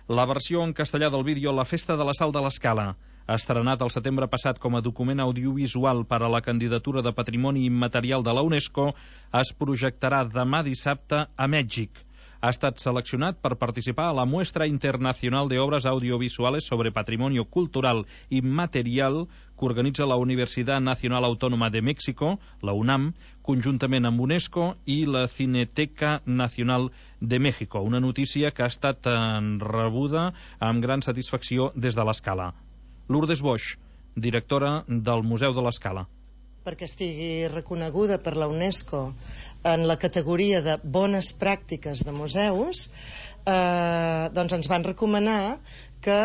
La versió en castellà del vídeo La festa de la sal de l'Escala, estrenat el setembre passat com a document audiovisual per a la candidatura de Patrimoni Immaterial de la UNESCO, es projectarà demà dissabte a Mèxic. Ha estat seleccionat per participar a la Muestra Internacional de Obras Audiovisuales sobre Patrimonio Cultural Inmaterial que organitza la Universidad Nacional Autónoma de México, la UNAM, conjuntament amb UNESCO i la Cineteca Nacional de México. Una notícia que ha estat rebuda amb gran satisfacció des de l'Escala. Lourdes Boix, directora del Museu de l'Escala. Perquè estigui reconeguda per la UNESCO en la categoria de bones pràctiques de museus, doncs ens van recomanar que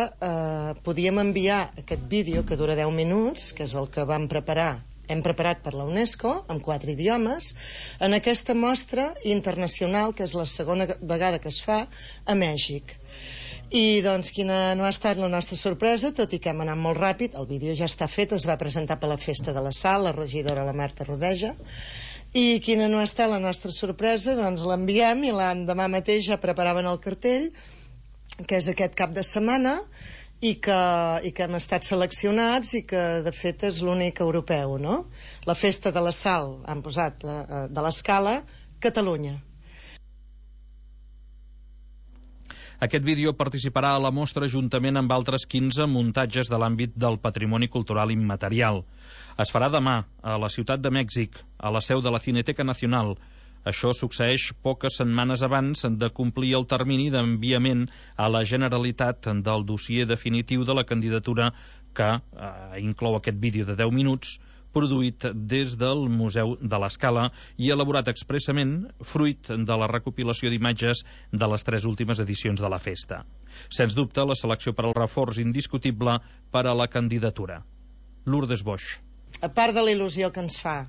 podíem enviar aquest vídeo, que dura 10 minuts, que és el que hem preparat per la UNESCO, en 4 idiomes, en aquesta mostra internacional, que és la segona vegada que es fa, a Mèxic. I doncs quina no ha estat la nostra sorpresa, tot i que hem anat molt ràpid. El vídeo ja està fet, es va presentar per la Festa de la Sal, la regidora la Marta Rodeja, i quina no ha estat la nostra sorpresa, doncs l'enviem i l'endemà mateix ja preparaven el cartell, que és aquest cap de setmana, i que hem estat seleccionats i que de fet és l'únic europeu, no? La Festa de la Sal, han posat de l'Escala, Catalunya. Aquest vídeo participarà a la mostra juntament amb altres 15 muntatges de l'àmbit del patrimoni cultural immaterial. Es farà demà a la Ciutat de Mèxic, a la seu de la Cineteca Nacional. Això succeeix poques setmanes abans de complir el termini d'enviament a la Generalitat del dossier definitiu de la candidatura que inclou aquest vídeo de 10 minuts produït des del Museu de l'Escala i elaborat expressament fruit de la recopilació d'imatges de les 3 últimes edicions de la festa. Sens dubte, la selecció per al reforç indiscutible per a la candidatura. Lourdes Boix. A part de la il·lusió que ens fa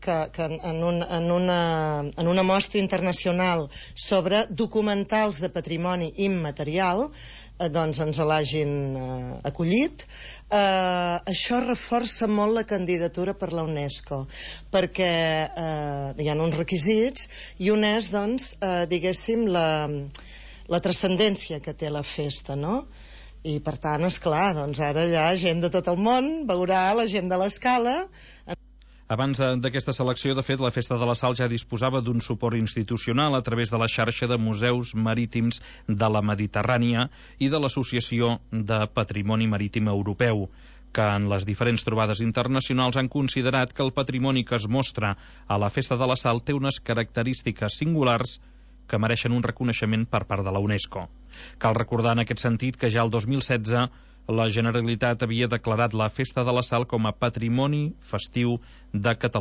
que en una mostra internacional sobre documentals de patrimoni immaterial doncs ens l'hagin acollit, això reforça molt la candidatura per la UNESCO, perquè hi ha uns requisits i un és, doncs, diguéssim, la transcendència que té la festa, no? I per tant, esclar, doncs ara hi ha gent de tot el món, veurà la gent de l'Escala. Abans d'aquesta selecció, de fet, la Festa de la Sal ja disposava d'un suport institucional a través de la xarxa de museus marítims de la Mediterrània i de l'Associació de Patrimoni Marítim Europeu, que en les diferents trobades internacionals han considerat que el patrimoni que es mostra a la Festa de la Sal té unes característiques singulars que mereixen un reconeixement per part de la UNESCO. Cal recordar en aquest sentit que ja el 2016 la Generalitat havia declarat la Festa de la Sal com a Patrimoni Festiu de Catalunya.